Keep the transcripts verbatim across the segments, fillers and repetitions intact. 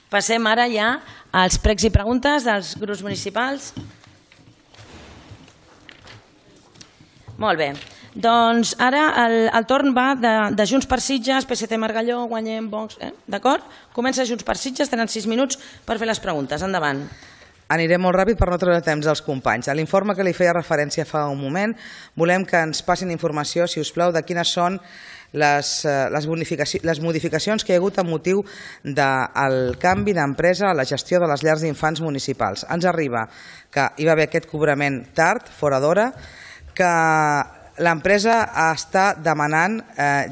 Passem ara ja als pregs i preguntes dels grups municipals. Molt bé. Doncs ara el torn va de Junts per Sitges, P S C Margalló, Guanyem, Vox, d'acord? Comença Junts per Sitges, tenen sis minuts per fer les preguntes. Endavant. Aniré molt ràpid per no treure temps als companys. A l'informe que li feia referència fa un moment, volem que ens passin informació, si us plau, de quines són les modificacions que hi ha hagut amb motiu del canvi d'empresa a la gestió de les llars d'infants municipals. Ens arriba que hi va haver aquest cobrament tard, fora d'hora, que l'empresa està demanant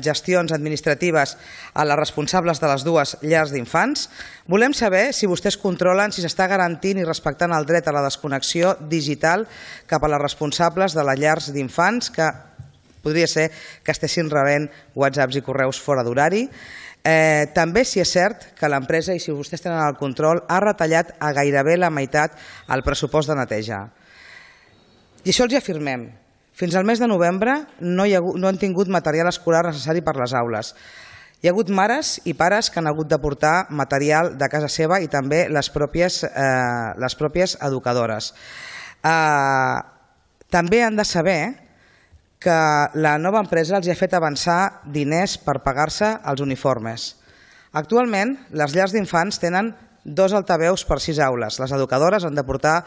gestions administratives a les responsables de les dues llars d'infants. Volem saber si vostès controlen si s'està garantint i respectant el dret a la desconnexió digital cap a les responsables de les llars d'infants, que podria ser que estessin rebent whatsapps i correus fora d'horari. També si és cert que l'empresa, i si vostès tenen el control, ha retallat a gairebé la meitat el pressupost de neteja. I això els hi afirmem. Fins al mes de novembre no han tingut material escolar necessari per les aules. Hi ha hagut mares i pares que han hagut de portar material de casa seva i també les pròpies educadores. També han de saber que la nova empresa els ha fet avançar diners per pagar-se els uniformes. Actualment, les llars d'infants tenen dos altaveus per sis aules. Les educadores han de portar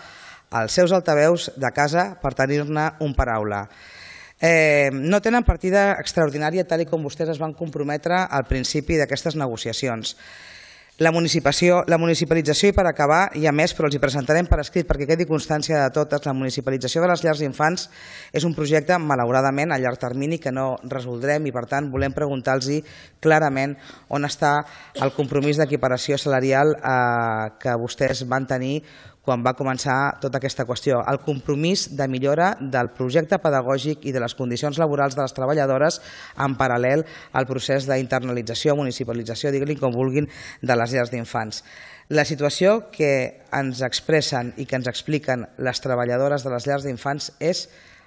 els seus altaveus de casa per tenir-ne un per aula. No tenen partida extraordinària tal com vostès es van comprometre al principi d'aquestes negociacions. La municipalització, i per acabar, hi ha més, però els hi presentarem per escrit perquè quedi constància de totes. La municipalització de les llars d'infants és un projecte, malauradament, a llarg termini que no resoldrem i, per tant, volem preguntar-los clarament on està el compromís d'equiparació salarial que vostès van tenir quan va començar tota aquesta qüestió. El compromís de millora del projecte pedagògic i de les condicions laborals de les treballadores en paral·lel al procés d'internalització, municipalització, diguin-li com vulguin, de les llars d'infants. La situació que ens expressen i que ens expliquen les treballadores de les llars d'infants és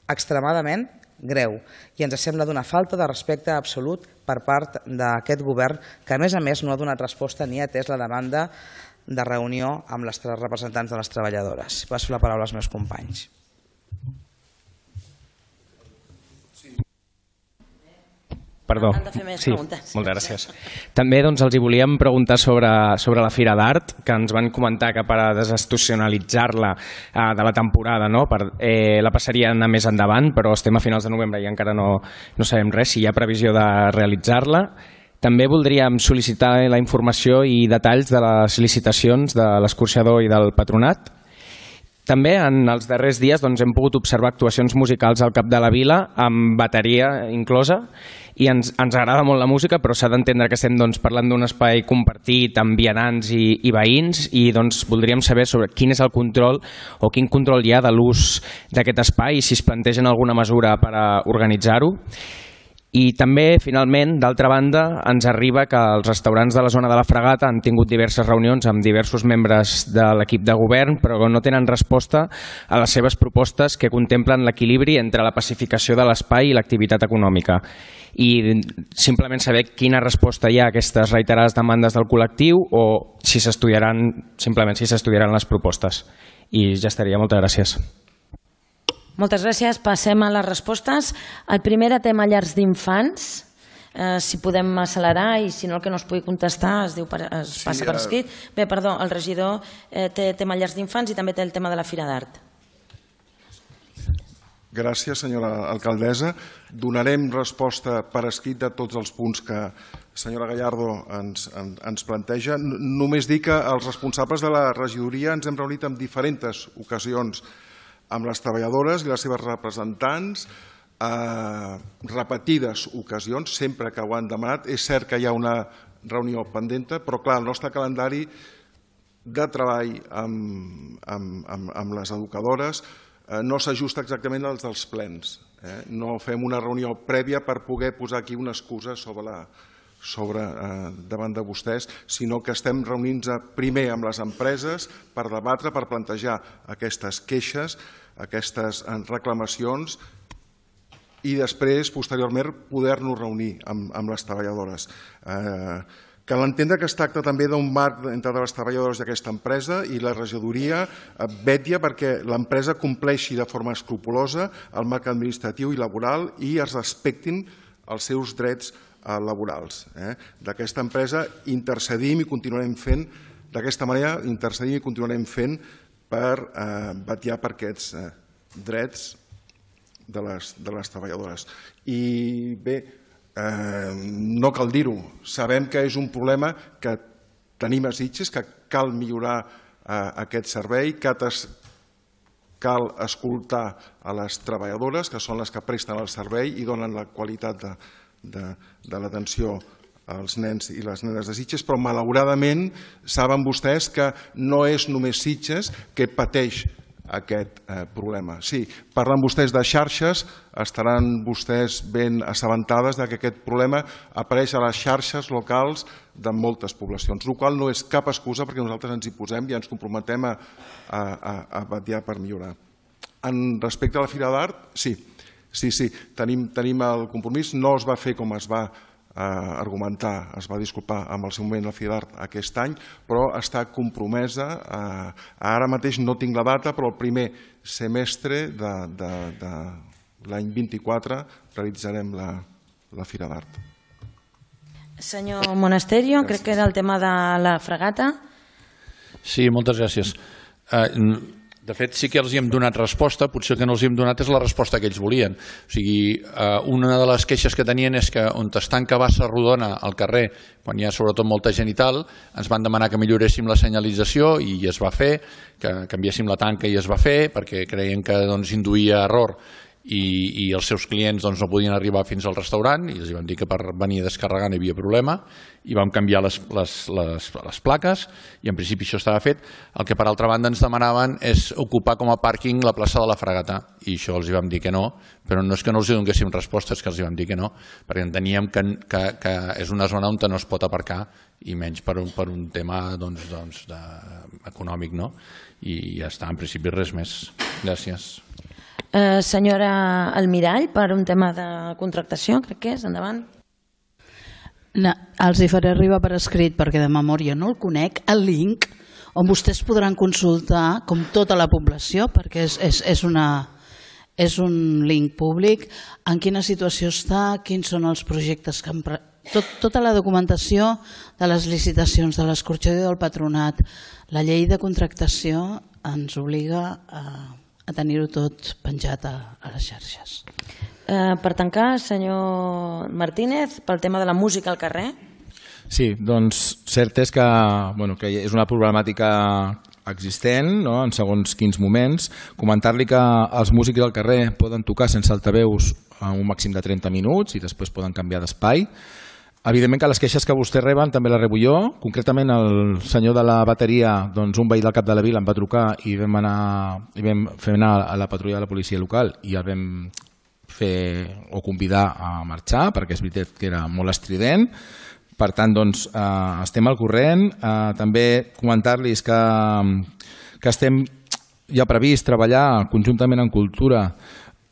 extremadament greu i ens sembla d'una falta de respecte absolut per part d'aquest govern que, a més a més, no ha donat resposta ni ha atès la demanda de reunió amb les representants de les treballadores. Passo la paraula als meus companys. Perdó. Sí, moltes gràcies. També els volíem preguntar sobre la Fira d'Art, que ens van comentar que per a desestacionalitzar-la de la temporada la passarien a més endavant, però estem a finals de novembre i encara no sabem res, si hi ha previsió de realitzar-la. També voldríem sol·licitar la informació i detalls de les licitacions de l'escorxador i del patronat. També en els darrers dies hem pogut observar actuacions musicals al Cap de la Vila amb bateria inclosa i ens agrada molt la música, però s'ha d'entendre que estem parlant d'un espai compartit amb vianants i veïns i voldríem saber sobre quin és el control o quin control hi ha de l'ús d'aquest espai i si es plantegen alguna mesura per a organitzar-ho. I també, finalment, d'altra banda, ens arriba que els restaurants de la zona de la Fragata han tingut diverses reunions amb diversos membres de l'equip de govern, però no tenen resposta a les seves propostes que contemplen l'equilibri entre la pacificació de l'espai i l'activitat econòmica. I simplement saber quina resposta hi ha a aquestes reiterades demandes del col·lectiu o si s'estudiaran, simplement si s'estudiaran les propostes. I ja estaria. Moltes gràcies. Moltes gràcies. Passem a les respostes. El primer era tema llars d'infants. Si podem accelerar i si no el que no es pugui contestar es passa per escrit. Bé, perdó, el regidor té tema llars d'infants i també té el tema de la Fira d'Art. Gràcies, senyora alcaldessa. Donarem resposta per escrit de tots els punts que la senyora Gallardo ens planteja. Només dir que els responsables de la regidoria ens hem reunit en diferents ocasions amb les treballadores i les seves representants, repetides ocasions, sempre que ho han demanat. És cert que hi ha una reunió pendent, però clar, el nostre calendari de treball amb les educadores no s'ajusta exactament als dels plens. No fem una reunió prèvia per poder posar aquí una excusa sobre davant de vostès, sinó que estem reunint-nos primer amb les empreses per debatre, per plantejar aquestes queixes, aquestes reclamacions i després, posteriorment, poder-nos reunir amb les treballadores. Cal entendre que es tracta també d'un marc entre les treballadores d'aquesta empresa i la regidoria vetlla perquè l'empresa compleixi de forma escrupulosa el marc administratiu i laboral i es respectin els seus drets laborals. D'aquesta empresa intercedim i continuarem fent, d'aquesta manera intercedim i continuarem fent per vetllar per aquests drets de les treballadores. I bé, no cal dir-ho, sabem que és un problema que tenim a Sitges, que cal millorar aquest servei, que cal escoltar a les treballadores, que són les que presten el servei i donen la qualitat de l'atenció als nens i les nenes de Sitges, però malauradament saben vostès que no és només Sitges que pateix aquest problema. Sí, parlen vostès de xarxes, estaran vostès ben assabentades que aquest problema apareix a les xarxes locals de moltes poblacions, el qual no és cap excusa perquè nosaltres ens hi posem i ens comprometem a vetllar per millorar. En respecte a la Fira d'Art, sí, sí, sí, tenim el compromís, no es va fer com es va argumentar, es va disculpar amb el seu moment la Fira d'Art aquest any, però està compromesa, ara mateix no tinc la data, però el primer semestre de l'any vint-i-quatre realitzarem la Fira d'Art. Senyor Monasterio, crec que era el tema de la fregata. Sí, moltes gràcies. De fet, sí que els hi hem donat resposta, potser el que no els hi hem donat és la resposta que ells volien. O sigui, una de les queixes que tenien és que on es tanca Bassa Rodona al carrer, quan hi ha sobretot molta gent i tal, ens van demanar que milloréssim la senyalització i es va fer, que canviéssim la tanca i es va fer, perquè creien que induïa error i els seus clients no podien arribar fins al restaurant i els vam dir que per venir a descarregar no hi havia problema i vam canviar les plaques i en principi això estava fet. El que per altra banda ens demanaven és ocupar com a pàrquing la plaça de la Fragata i això els vam dir que no, però no és que no els donéssim respostes, que els vam dir que no, perquè enteníem que és una zona on no es pot aparcar i menys per un tema econòmic i ja està, en principi res més. Gràcies. Senyora Almirall, per un tema de contractació, crec que és, endavant. Els hi faré arribar per escrit, perquè de memòria no el conec, el link on vostès podran consultar, com tota la població, perquè és un link públic, en quina situació està, quins són els projectes que han... Tota la documentació de les licitacions, de l'escorxador del patronat, la llei de contractació ens obliga a... a tenir-ho tot penjat a les xarxes. Per tancar, senyor Martínez, pel tema de la música al carrer. Sí, doncs cert és que és una problemàtica existent en segons quins moments. Comentar-li que els músics al carrer poden tocar sense altaveus un màxim de trenta minuts i després poden canviar d'espai. Evidentment que les queixes que vostè reben també les rebo jo. Concretament el senyor de la bateria, doncs un veí del cap de la vila em va trucar i vam fer anar a la patrulla de la policia local i el vam fer o convidar a marxar perquè és veritat que era molt estrident. Per tant, doncs, estem al corrent. També comentar-los que estem ja previst treballar conjuntament en cultura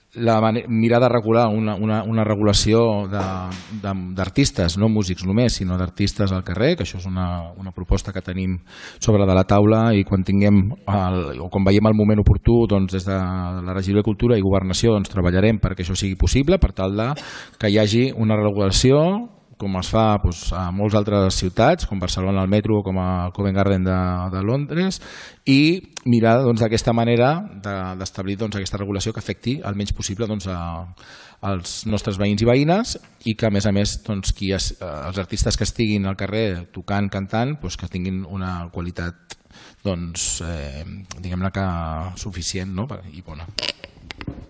mirar de regular una regulació d'artistes, no músics només, sinó d'artistes al carrer, que això és una proposta que tenim sobre de la taula i quan tinguem o quan veiem el moment oportú des de la Regidoria de Cultura i Governació treballarem perquè això sigui possible per tal que hi hagi una regulació com es fa a moltes altres ciutats, com Barcelona al metro o com a Covent Garden de Londres, i mirar d'aquesta manera d'establir aquesta regulació que afecti el menys possible als nostres veïns i veïnes i que a més a més els artistes que estiguin al carrer tocant, cantant, que tinguin una qualitat diguem-ne que suficient i bona.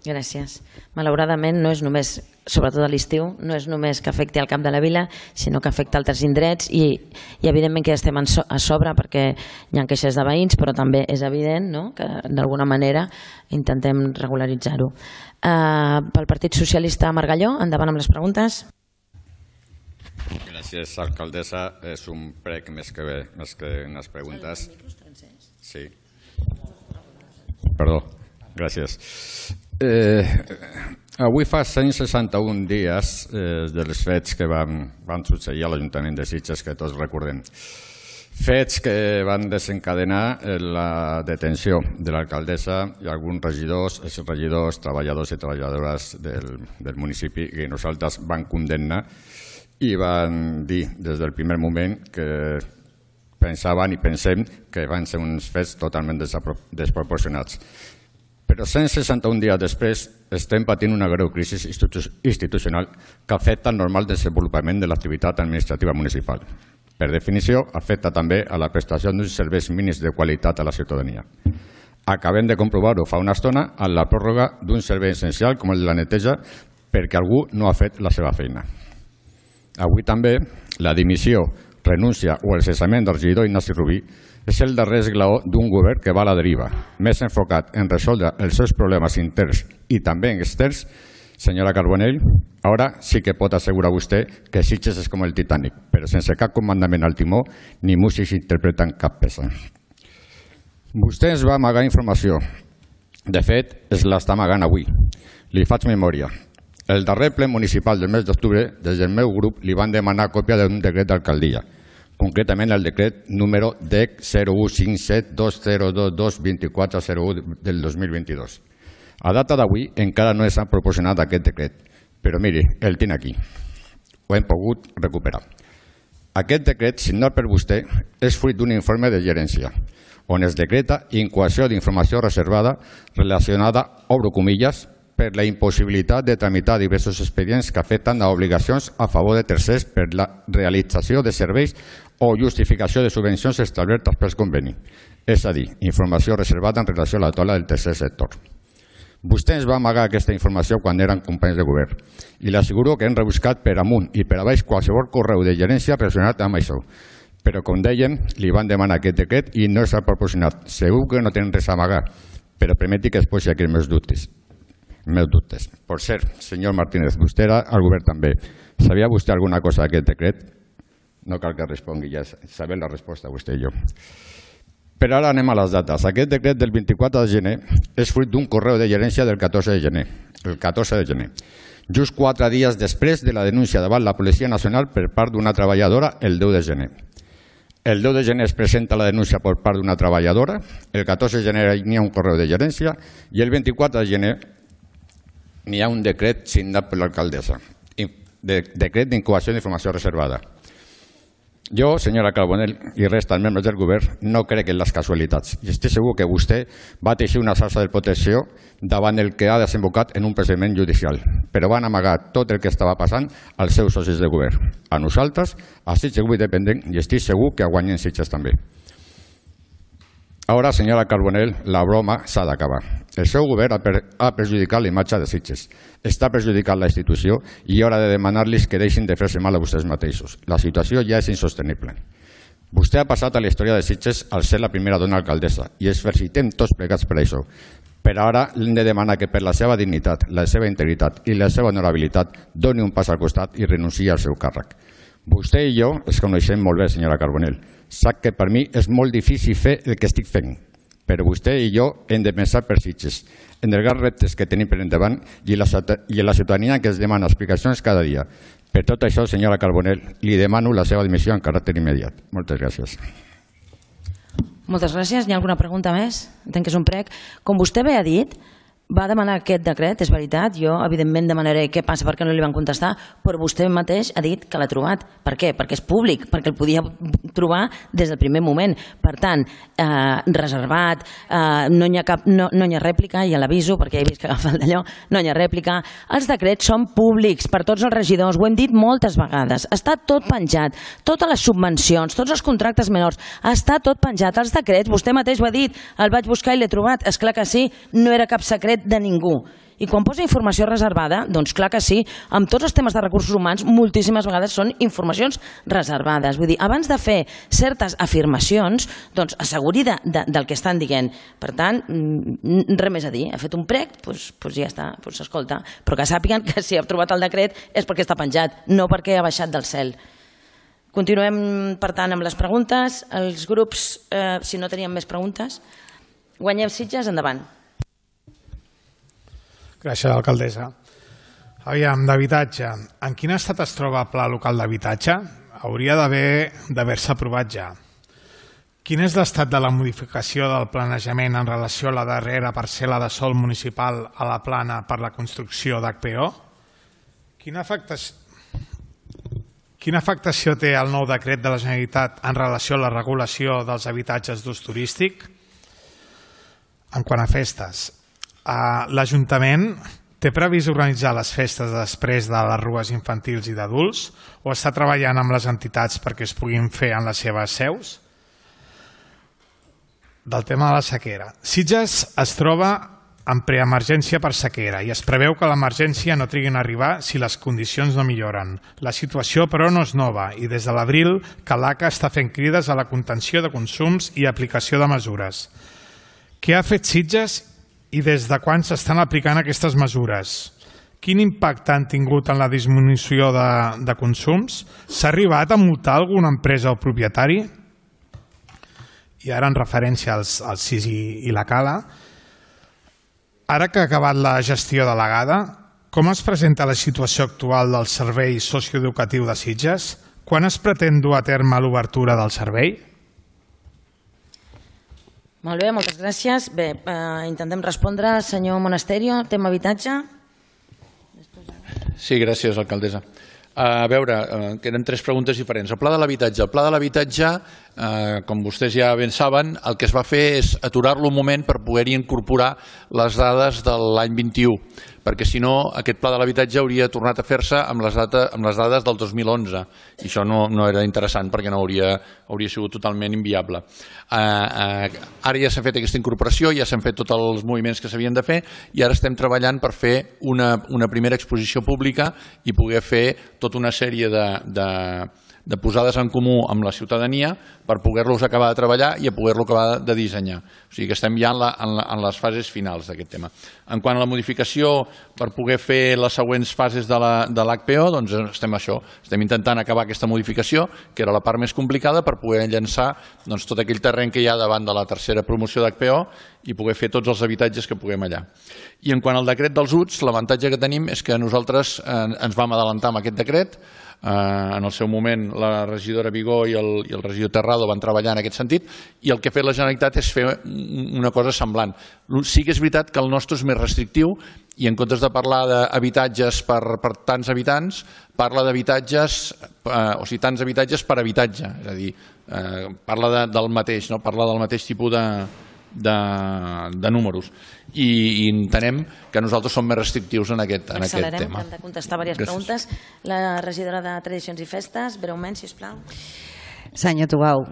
Gràcies. Malauradament no és només, sobretot a l'estiu, no és només que afecti el Camp de la Vila, sinó que afecta altres indrets i evidentment que estem a sobre perquè hi ha queixes de veïns, però també és evident que d'alguna manera intentem regularitzar-ho. Pel Partit Socialista Margalló, endavant amb les preguntes. Gràcies, alcaldessa. És un prec més que unes preguntes. Sí. Perdó. Gràcies. Avui fa cent seixanta-un dies dels fets que van succeir a l'Ajuntament de Sitges, que tots recordem. Fets que van desencadenar la detenció de l'alcaldessa i alguns regidors, exregidors, treballadors i treballadores del municipi que nosaltres van condemnar i van dir des del primer moment que pensaven i pensem que van ser uns fets totalment desproporcionats. Però cent seixanta-un dies després estem patint una greu crisi institucional que afecta el normal desenvolupament de l'activitat administrativa municipal. Per definició, afecta també a la prestació d'uns serveis mínims de qualitat a la ciutadania. Acabem de comprovar-ho fa una estona amb la pròrroga d'un servei essencial com el de la neteja perquè algú no ha fet la seva feina. Avui també la dimissió, renúncia o el cessament del regidor Ignasi Rubí és el darrer esglaó d'un govern que va a la deriva, més enfocat en resoldre els seus problemes interns i també externs. Senyora Carbonell, ara sí que pot assegurar vostè que Sitges és com el Titanic, però sense cap comandament al timó ni músics interpretant cap peça. Vostè ens va amagar informació. De fet, es l'està amagant avui. Li faig memòria. El darrer ple municipal del mes d'octubre, des del meu grup, li van demanar còpia d'un decret d'alcaldia, concretament el decret número D E C zero u cinc set dos zero dos dos dos quatre zero u del dos mil vint-i-dos. A data d'avui encara no s'ha proporcionat aquest decret, però miri, el tinc aquí. Ho hem pogut recuperar. Aquest decret, signat per vostè, és fruit d'un informe de gerència, on es decreta incoació d'informació reservada relacionada, obro comilles, per la impossibilitat de tramitar diversos expedients que afecten a obligacions a favor de tercers per la realització de serveis o justificació de subvencions establertes pel conveni, és a dir, informació reservada en relació a la taula del tercer sector. Vostè ens va amagar aquesta informació quan eren companys de govern i l'asseguro que hem rebuscat per amunt i per a baix qualsevol correu de gerència relacionat amb això. Però, com dèiem, li van demanar aquest decret i no s'ha proporcionat. Segur que no tenen res a amagar, però permeti que es posi aquí els meus dubtes. meus dubtes. Per cert, senyor Martínez, vostè era al govern també. Sabia vostè alguna cosa d'aquest decret? No cal que respongui, ja sabem la resposta, vostè i jo. Però ara anem a les dates. Aquest decret del vint-i-quatre de gener és fruit d'un correu de gerència del catorze de gener. El catorze de gener. Just quatre dies després de la denúncia davant la Policia Nacional per part d'una treballadora el deu de gener. El deu de gener es presenta la denúncia per part d'una treballadora, el catorze de gener n'hi ha un correu de gerència i el vint-i-quatre de gener n'hi ha un decret signat per l'alcaldessa, decret d'incoació d'informació reservada. Jo, senyora Carbonell, i resta els membres del govern, no crec en les casualitats i estic segur que vostè va teixir una xarxa de protecció davant el que ha desembocat en un procediment judicial, però van amagar tot el que estava passant als seus socis de govern. A nosaltres, a Sitges Avui Dependent, i estic segur que guanyen Sitges també. Ara, senyora Carbonell, la broma s'ha d'acabar. El seu govern ha perjudicat la imatge de Sitges, està perjudicant la institució i és hora de demanar-los que deixin de fer-se mal a vostès mateixos. La situació ja és insostenible. Vostè ha passat a la història de Sitges al ser la primera dona alcaldessa i ens felicitem tots plegats per això. Però ara l'hem de demanar que per la seva dignitat, la seva integritat i la seva honorabilitat doni un pas al costat i renunciï al seu càrrec. Vostè i jo ens coneixem molt bé, senyora Carbonell. Sap que per mi és molt difícil fer el que estic fent, però vostè i jo hem de pensar per Sitges, en els grans reptes que tenim per endavant i la ciutadania que ens demana explicacions cada dia. Per tot això, senyora Carbonell, li demano la seva dimissió en caràcter immediat. Moltes gràcies. Moltes gràcies. Hi ha alguna pregunta més? Entenc que és un prec. Com vostè bé ha dit, va demanar aquest decret, és veritat. Jo, evidentment, demanaré què passa perquè no li van contestar, però vostè mateix ha dit que l'ha trobat. Per què? Perquè és públic, perquè el podia trobar des del primer moment. Per tant, eh, reservat, eh, no hi ha cap, no, no hi ha rèplica, ja l'aviso, perquè he vist que agafa el d'allò, no hi ha rèplica. Els decrets són públics per tots els regidors, ho hem dit moltes vegades. Està tot penjat, totes les subvencions, tots els contractes menors, està tot penjat. Els decrets, vostè mateix ho ha dit, el vaig buscar i l'he trobat. És clar que sí, no era cap secret de ningú. I quan posa informació reservada, doncs clar que sí, amb tots els temes de recursos humans, moltíssimes vegades són informacions reservades. Vull dir, abans de fer certes afirmacions, doncs asseguri de, de, del que estan dient. Per tant, res més a dir. Ha fet un prec, doncs, doncs ja està, doncs escolta. Però que sàpiguen que si ha trobat el decret és perquè està penjat, no perquè ha baixat del cel. Continuem, per tant, amb les preguntes. Els grups, eh, si no teníem més preguntes, guanyem Sitges, endavant. Gràcies, alcaldessa. Aviam, d'habitatge. En quin estat es troba el pla local d'habitatge? Hauria d'haver-se aprovat ja. Quin és l'estat de la modificació del planejament en relació a la darrera parcel·la de sòl municipal a la plana per la construcció d'H P O? Quina afectació, quina afectació té el nou decret de la Generalitat en relació a la regulació dels habitatges d'ús turístic? En quant a festes, l'Ajuntament té previst organitzar les festes després de les rues infantils i d'adults o està treballant amb les entitats perquè es puguin fer en les seves seus? Del tema de la sequera. Sitges es troba en preemergència per sequera i es preveu que l'emergència no trigui a arribar si les condicions no milloren. La situació, però, no és nova i des de l'abril Calaca està fent crides a la contenció de consums i aplicació de mesures. Què ha fet Sitges i des de quan s'estan aplicant aquestes mesures? Quin impacte han tingut en la disminució de, de consums? S'ha arribat a multar alguna empresa o propietari? I ara en referència als, als S I S i, i la Cala, ara que ha acabat la gestió delegada, com es presenta la situació actual del servei socioeducatiu de Sitges? Quan es pretén dur a terme l'obertura del servei? Molt bé, moltes gràcies. Bé, eh, intentem respondre. Senyor Monasterio, tema habitatge. Sí, gràcies, alcaldessa. A veure, eh, queden tres preguntes diferents. El pla de l'habitatge. El pla de l'habitatge, eh, com vostès ja ben saben, el que es va fer és aturar-lo un moment per poder-hi incorporar les dades de l'any vint-i-u, perquè si no aquest pla de l'habitatge hauria tornat a fer-se amb, les data, amb les dades del dos mil onze i això no, no era interessant perquè no hauria, hauria sigut totalment inviable. Eh, eh, ara ja s'ha fet aquesta incorporació, ja s'han fet tots els moviments que s'havien de fer i ara estem treballant per fer una, una primera exposició pública i poder fer tota una sèrie de, de, de posades en comú amb la ciutadania per poder-los acabar de treballar i a poder-lo acabar de dissenyar. O sigui que estem ja en, la, en, la, en les fases finals d'aquest tema. En quant a la modificació per poder fer les següents fases de l'H P O, doncs estem això, estem intentant acabar aquesta modificació, que era la part més complicada, per poder llançar doncs, tot aquell terreny que hi ha davant de la tercera promoció d'H P O i poder fer tots els habitatges que puguem allà. I en quant al decret dels U T S, l'avantatge que tenim és que nosaltres eh, ens vam adelantar amb aquest decret. Eh, en el seu moment la regidora Vigó i el, i el regidor Terrado van treballar en aquest sentit i el que ha fet la Generalitat és fer una cosa semblant. Sí que és veritat que el nostre és més restrictiu i en comptes de parlar d'habitatges per, per tants habitants, parla d'habitatges, eh, o sigui, tants habitatges per habitatge, és a dir, eh, parla de, del mateix, no? Parla del mateix tipus de, de, de números i, i entenem que nosaltres som més restrictius en aquest, en aquest tema. Hem de contestar diverses preguntes. La regidora de Tradicions i Festes, breument, sisplau. Senyor Tubau,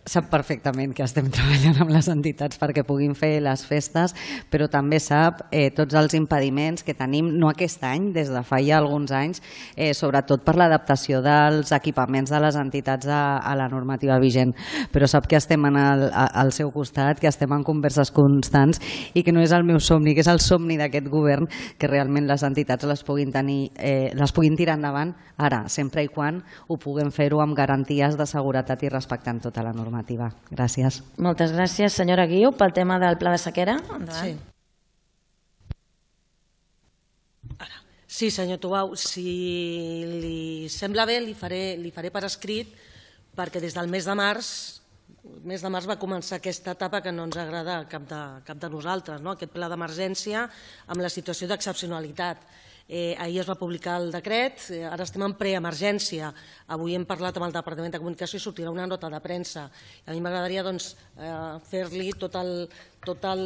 sap perfectament que estem treballant amb les entitats perquè puguin fer les festes, però també sap eh, tots els impediments que tenim, no aquest any, des de fa ja alguns anys, eh, sobretot per l'adaptació dels equipaments de les entitats a, a la normativa vigent. Però sap que estem en el, a, al seu costat, que estem en converses constants i que no és el meu somni, que és el somni d'aquest govern, que realment les entitats les puguin, tenir, eh, les puguin tirar endavant ara, sempre i quan ho puguem fer-ho amb garanties de seguretat i respectant tota la normativa. Gràcies. Moltes gràcies. Senyora Guiu, pel tema del pla de sequera. Sí. Ara. Sí, senyor Tubau, si li sembla bé, li faré, li faré per escrit, perquè des del mes de març, el mes de març va començar aquesta etapa que no ens agrada a cap de, cap de nosaltres, no? Aquest pla d'emergència amb la situació d'excepcionalitat. Eh, ahir es va publicar el decret, eh, ara estem en preemergència. Avui hem parlat amb el Departament de Comunicació i sortirà una nota de premsa. A mi m'agradaria doncs, eh, fer-li tot el, tot el,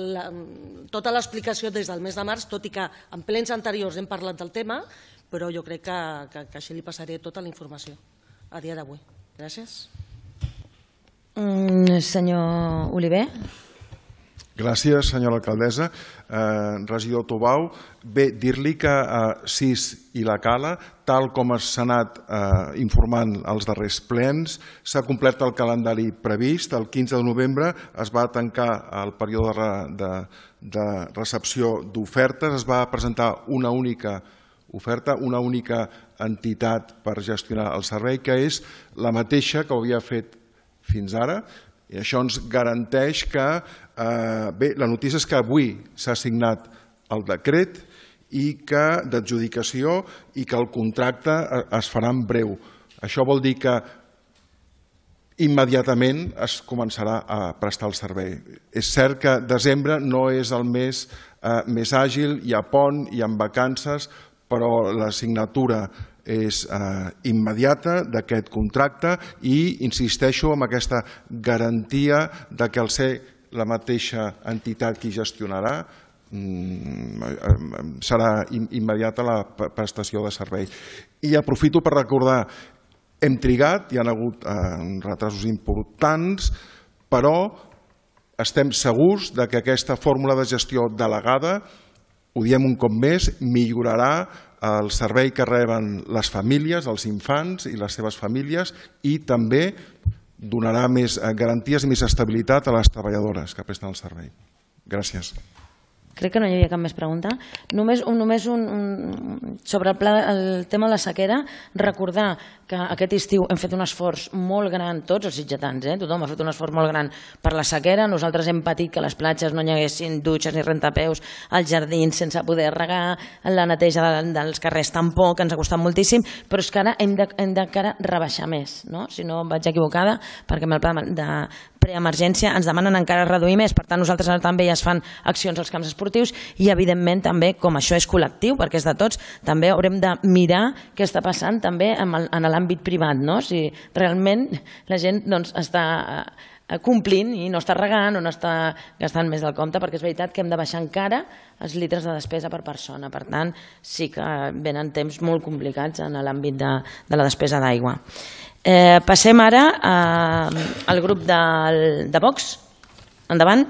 tota l'explicació des del mes de març, tot i que en plens anteriors hem parlat del tema, però jo crec que, que, que així li passaré tota la informació a dia d'avui. Gràcies. Mm, senyor Oliver. Gràcies, senyora alcaldessa. Eh, regidor Tubau, bé, dir-li que eh, S I S i la Cala, tal com s'ha anat eh, informant als darrers plens, s'ha complert el calendari previst. El quinze de novembre es va tancar el període de, de recepció d'ofertes, es va presentar una única oferta, una única entitat per gestionar el servei, que és la mateixa que ho havia fet fins ara. I això ens garanteix que, eh, bé, la notícia és que avui s'ha signat el decret i que d'adjudicació i que el contracte es farà en breu. Això vol dir que immediatament es començarà a prestar el servei. És cert que desembre no és el mes més àgil, hi ha pont, hi ha vacances, però la signatura és immediata d'aquest contracte i insisteixo en aquesta garantia de que al ser la mateixa entitat qui gestionarà serà immediata la prestació de servei. I aprofito per recordar, hem trigat, hi ha hagut retrasos importants, però estem segurs que aquesta fórmula de gestió delegada, ho diem un cop més, millorarà el servei que reben les famílies, els infants i les seves famílies i també donarà més garanties i més estabilitat a les treballadores que presten el servei. Gràcies. Crec que no hi havia cap més pregunta. Només, només un, un, sobre el, pla, el tema de la sequera, recordar que aquest estiu hem fet un esforç molt gran, tots els sitgetans, eh? Tothom ha fet un esforç molt gran per la sequera. Nosaltres hem patit que a les platges no hi haguessin dutxes ni rentapeus, als jardins sense poder regar, la neteja de, dels carrers tampoc, ens ha costat moltíssim, però és que ara hem de, hem de cara rebaixar més, no? Si no vaig equivocada, perquè amb el pla de preemergència ens demanen encara reduir més, per tant nosaltres ara també ja es fan accions als camps esportius i evidentment també, com això és col·lectiu perquè és de tots, també haurem de mirar què està passant també en l'àmbit privat, no? Si realment la gent doncs, està complint i no està regant o no està gastant més del compte, perquè és veritat que hem de baixar encara els litres de despesa per persona, per tant sí que venen temps molt complicats en l'àmbit de, de la despesa d'aigua. Eh, passem ara eh, al grup de, de Vox. Endavant.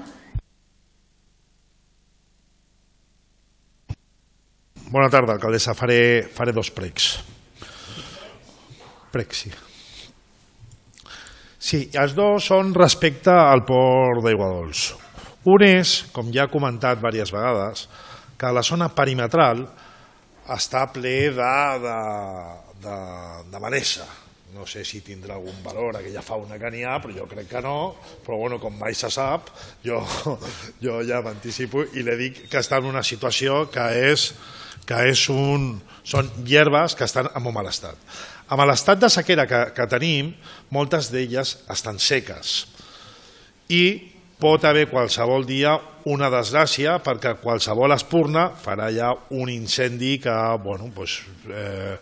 Bona tarda, alcaldessa. Faré, faré dos pregs. Pregs, sí. Sí, els dos són respecte al port d'Aigua Dols. Un és, com ja he comentat diverses vegades, que la zona perimetral està ple de, de, de, de manesa. No sé si tindrà algun valor aquella fauna que n'hi ha, però jo crec que no, però bueno, com mai se sap, jo, jo ja m'anticipo i li dic que està en una situació que és, que és un, són hierbes que estan en molt mal estat. Amb l'estat de sequera que, que tenim, moltes d'elles estan seques i pot haver qualsevol dia una desgràcia perquè qualsevol espurna farà ja un incendi que bueno, pues, eh,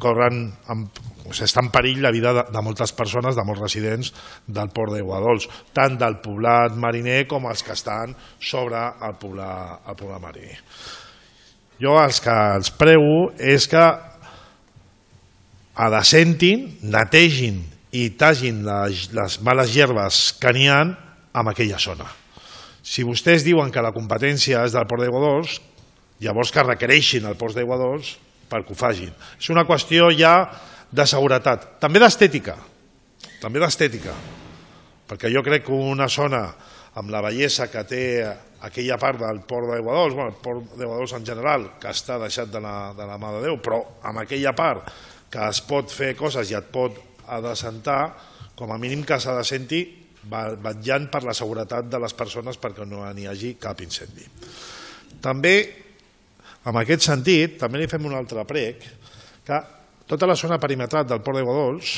corren en, pues, està en perill la vida de, de moltes persones, de molts residents del port d'Aigua Dols, tant del poblat mariner com els que estan sobre el poblat, el poblat mariner. Jo els que els prego és que adassentin, netegin i tagin les, les males hierbes que n'hi ha en aquella zona. Si vostès diuen que la competència és del port d'Aigua Dols, llavors que requereixin el port d'Aigua Dols perquè ho facin. És una qüestió ja de seguretat, també d'estètica, també d'estètica, perquè jo crec que una zona amb la bellesa que té aquella part del port d'Aigua Dols, bueno, el port d'Aigua Dols en general, que està deixat de la, de la mà de Déu, però amb aquella part que es pot fer coses i et pot adassentar, com a mínim que s'adasenti vetllant per la seguretat de les persones perquè no n'hi hagi cap incendi. També, en aquest sentit, també li fem un altre prec, que tota la zona perimetral del port d'Aigua Dols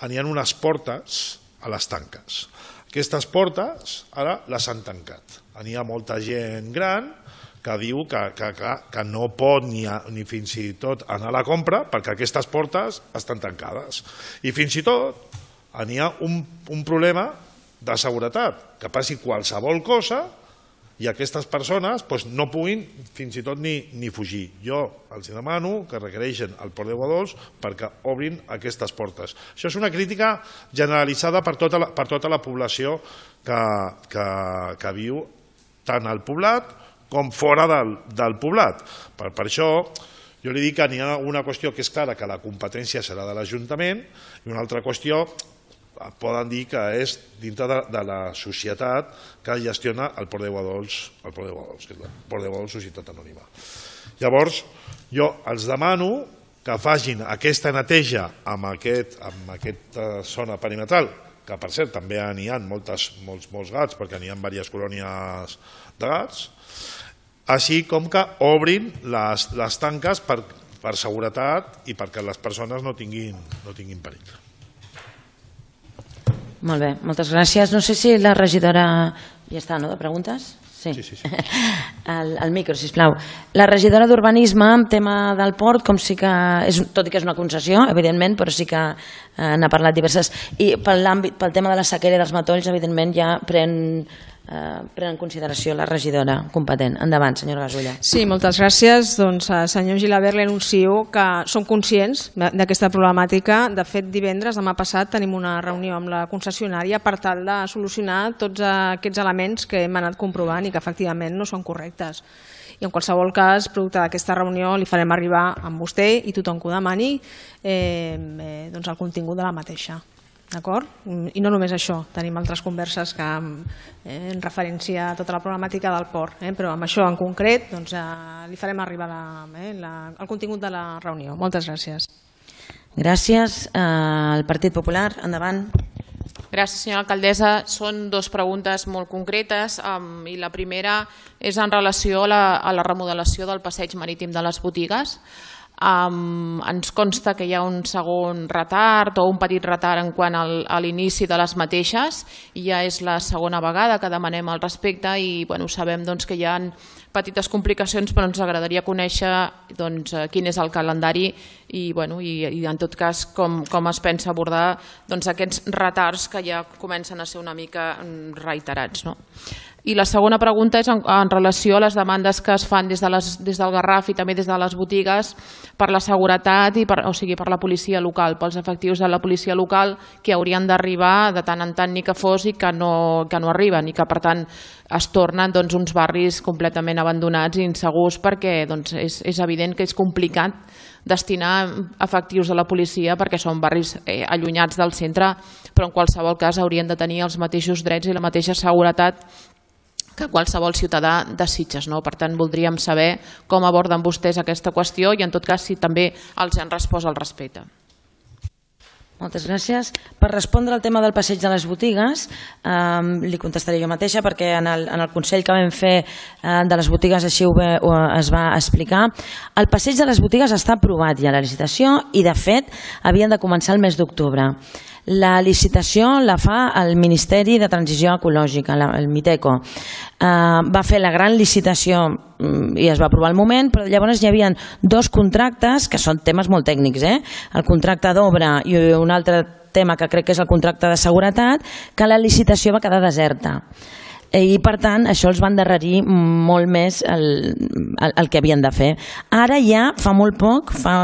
n'hi ha unes portes a les tanques. Aquestes portes ara les han tancat. N'hi ha molta gent gran que diu que, que, que, que no pot ni, a, ni fins i tot anar a la compra perquè aquestes portes estan tancades. I fins i tot n'hi ha un, un problema de seguretat, que passi qualsevol cosa i aquestes persones doncs, no puguin fins i tot ni, ni fugir. Jo els demano que requereixen el port d'Aigua Dols perquè obrin aquestes portes. Això és una crítica generalitzada per tota la, per tota la població que, que, que viu tant al poblat com fora del, del poblat. Per, per això jo li dic que n'hi ha una qüestió que és clara, que la competència serà de l'Ajuntament, i una altra qüestió poden dir que és dintre de, de la societat que gestiona el port d'Aigua Dols, el port d'Aigua Dols, que és el port d'Aigua Dols Societat Anònima. Llavors, jo els demano que facin aquesta neteja amb, aquest, amb aquesta zona perimetral, que per cert també n'hi ha moltes, molts, molts gats, perquè n'hi ha diverses colònies de gats, així com que obrin les, les tanques per, per seguretat i perquè les persones no tinguin, no tinguin perill. Molt bé, moltes gràcies. No sé si la regidora... Ja està, no?, de preguntes? Sí, sí, sí. sí. El, el micro, sisplau. La regidora d'Urbanisme, en tema del port, com sí que, és, tot i que és una concessió, evidentment, però sí que eh, n'ha parlat diverses. I pel, pel tema de la sequera i dels matolls, evidentment, ja pren... Uh, pren en consideració la regidora competent. Endavant, senyora Gasulla. Sí, moltes gràcies. Doncs, uh, senyor Gilabert, li anuncio que som conscients d'aquesta problemàtica. De fet, divendres, demà passat, tenim una reunió amb la concessionària per tal de solucionar tots aquests elements que hem anat comprovant i que efectivament no són correctes. I en qualsevol cas, producte d'aquesta reunió, li farem arribar amb vostè i tothom que ho demani eh, eh, doncs el contingut de la mateixa. D'acord? I no només això, tenim altres converses que eh, en referència a tota la problemàtica del port, eh, però amb això en concret doncs, eh, li farem arribar la, eh, la, el contingut de la reunió. Moltes gràcies. Gràcies. Eh, el Partit Popular, endavant. Gràcies, senyora alcaldessa. Són dues preguntes molt concretes um, i la primera és en relació a la, a la remodelació del passeig marítim de les botigues. Um, ens consta que hi ha un segon retard o un petit retard en quant al, a l'inici de les mateixes i ja és la segona vegada que demanem al respecte i bueno, sabem doncs, que hi ha petites complicacions però ens agradaria conèixer doncs, quin és el calendari i, bueno, i, i en tot cas com, com es pensa abordar doncs, aquests retards que ja comencen a ser una mica reiterats, no? I la segona pregunta és en, en relació a les demandes que es fan des, de les, des del Garraf i també des de les botigues per la seguretat, i per, o sigui, per la policia local, pels efectius de la policia local que haurien d'arribar de tant en tant ni que fos i que no, que no arriben i que per tant es tornen doncs, uns barris completament abandonats i insegurs perquè doncs, és, és evident que és complicat destinar efectius de la policia perquè són barris eh, allunyats del centre, però en qualsevol cas haurien de tenir els mateixos drets i la mateixa seguretat que qualsevol ciutadà de Sitges. No? Per tant, voldríem saber com aborden vostès aquesta qüestió i en tot cas si també els han respost al respecte. Moltes gràcies. Per respondre al tema del passeig de les botigues, eh, li contestaré jo mateixa perquè en el, en el Consell que vam fer eh, de les botigues així ho, ho, es va explicar. El passeig de les botigues està aprovat ja la licitació i de fet havien de començar el mes d'octubre. La licitació la fa el Ministeri de Transició Ecològica, el MITECO. Eh, va fer la gran licitació i es va aprovar al moment, però llavors hi havia dos contractes que són temes molt tècnics, eh? El contracte d'obra i un altre tema que crec que és el contracte de seguretat, que la licitació va quedar deserta. I per tant això els va endarrerir molt més el, el, el que havien de fer. Ara ja fa molt poc, fa,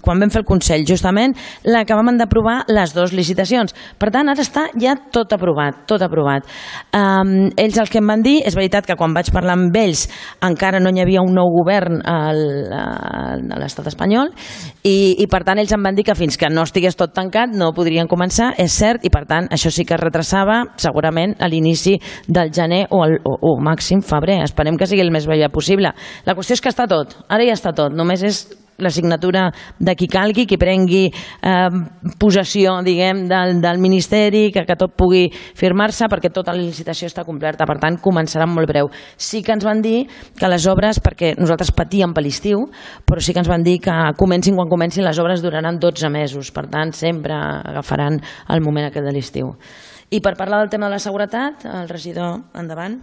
quan vam fer el Consell justament, l'acabàvem d'aprovar les dues licitacions. Per tant ara està ja tot aprovat, tot aprovat. Um, ells el que em van dir, és veritat que quan vaig parlar amb ells encara no hi havia un nou govern al, a l'estat espanyol i, i per tant ells em van dir que fins que no estigués tot tancat no podrien començar, és cert, i per tant això sí que es retrasava segurament a l'inici de del gener o, el, o, o màxim febrer. Esperem que sigui el més aviat possible. La qüestió és que està tot, ara ja està tot, només és la signatura de qui calgui, qui prengui eh, possessió, diguem, del, del Ministeri, que, que tot pugui firmar-se perquè tota la licitació està completa, per tant començarà molt breu. Sí que ens van dir que les obres, perquè nosaltres patíem per l'estiu, però sí que ens van dir que comencin quan comencin les obres duraran dotze mesos, per tant sempre agafaran el moment aquest de l'estiu. I per parlar del tema de la seguretat, el regidor, endavant.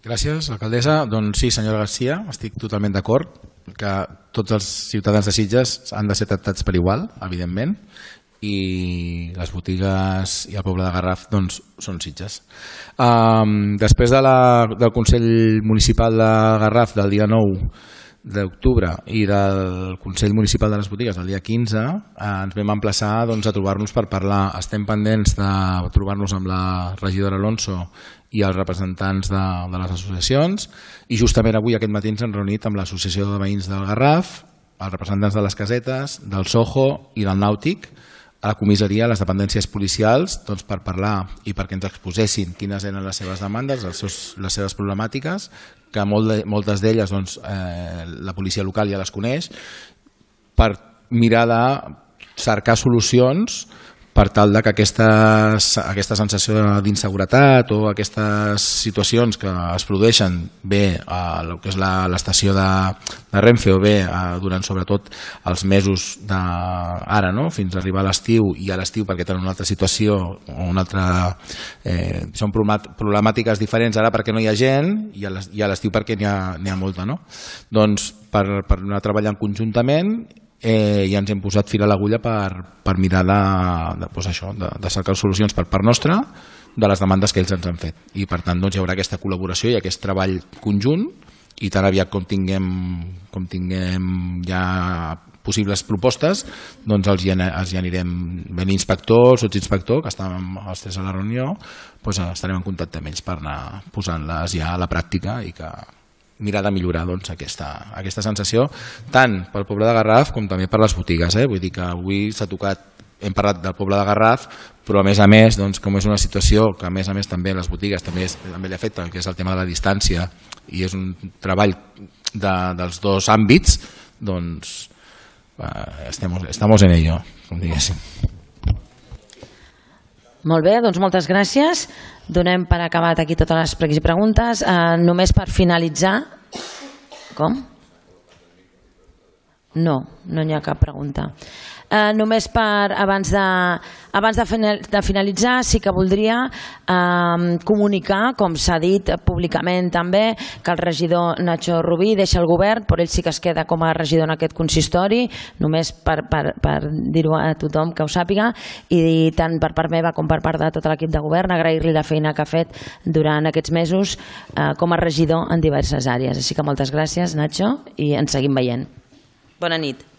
Gràcies, alcaldessa. Doncs sí, senyora Garcia, estic totalment d'acord que tots els ciutadans de Sitges han de ser tractats per igual, evidentment, i les botigues i el poble de Garraf doncs, són Sitges. Um, després de la, del Consell Municipal de Garraf del dia nou d'octubre i del Consell Municipal de les Botigues del dia quinze, eh, ens vam emplaçar doncs, a trobar-nos per parlar. Estem pendents de trobar-nos amb la regidora Alonso i els representants de, de les associacions i justament avui aquest matí ens hem reunit amb l'Associació de Veïns del Garraf, els representants de les casetes, del Soho i del Nàutic, a la comissaria, a les dependències policials, doncs, per parlar i perquè ens exposessin quines eren les seves demandes, els seus, les seves problemàtiques, que molt de, moltes d'elles doncs, eh, la policia local ja les coneix, per mirar de cercar solucions per tal de que aquestes, aquesta sensació d'inseguretat o aquestes situacions que es produeixen bé a el que és l'estació de, de Renfe o bé a, durant sobretot els mesos d'ara, no? Fins a arribar a l'estiu i a l'estiu perquè tenen una altra situació o una altra... Eh, són problemàtiques diferents ara perquè no hi ha gent i a l'estiu perquè n'hi ha, n'hi ha molta, no? Doncs per, per anar treballant conjuntament eh, i ens hem posat fil a l'agulla per, per mirar de, de, doncs això, de, de cercar solucions per part nostra de les demandes que ells ens han fet i per tant doncs, hi haurà aquesta col·laboració i aquest treball conjunt i tan aviat com tinguem, com tinguem ja possibles propostes doncs els hi, els hi anirem ben inspector, sotsinspector que estàvem els tres a la reunió doncs estarem en contacte amb ells per anar posant-les ja a la pràctica i que mirar de millorar doncs, aquesta, aquesta sensació tant pel poble de Garraf com també per les botigues. Eh? Vull dir que avui s'ha tocat, hem parlat del poble de Garraf, però a més a més, doncs, com és una situació que a més a més també les botigues també, és, també li afecta, que és el tema de la distància i és un treball de, dels dos àmbits, doncs eh, estem, estamos en ello, com diguéssim. Molt bé, doncs moltes gràcies. Donem per acabat aquí totes les pregs i preguntes. Eh, només per finalitzar... Com? No, no hi ha cap pregunta. Eh, només per, abans de, abans de, de finalitzar, sí que voldria eh, comunicar, com s'ha dit públicament també, que el regidor Nacho Rubí deixa el govern, però ell sí que es queda com a regidor en aquest consistori, només per, per, per dir-ho a tothom que ho sàpiga, i tant per part meva com per part de tot l'equip de govern, agrair-li la feina que ha fet durant aquests mesos eh, com a regidor en diverses àrees. Així que moltes gràcies, Nacho, i ens seguim veient. Bona nit.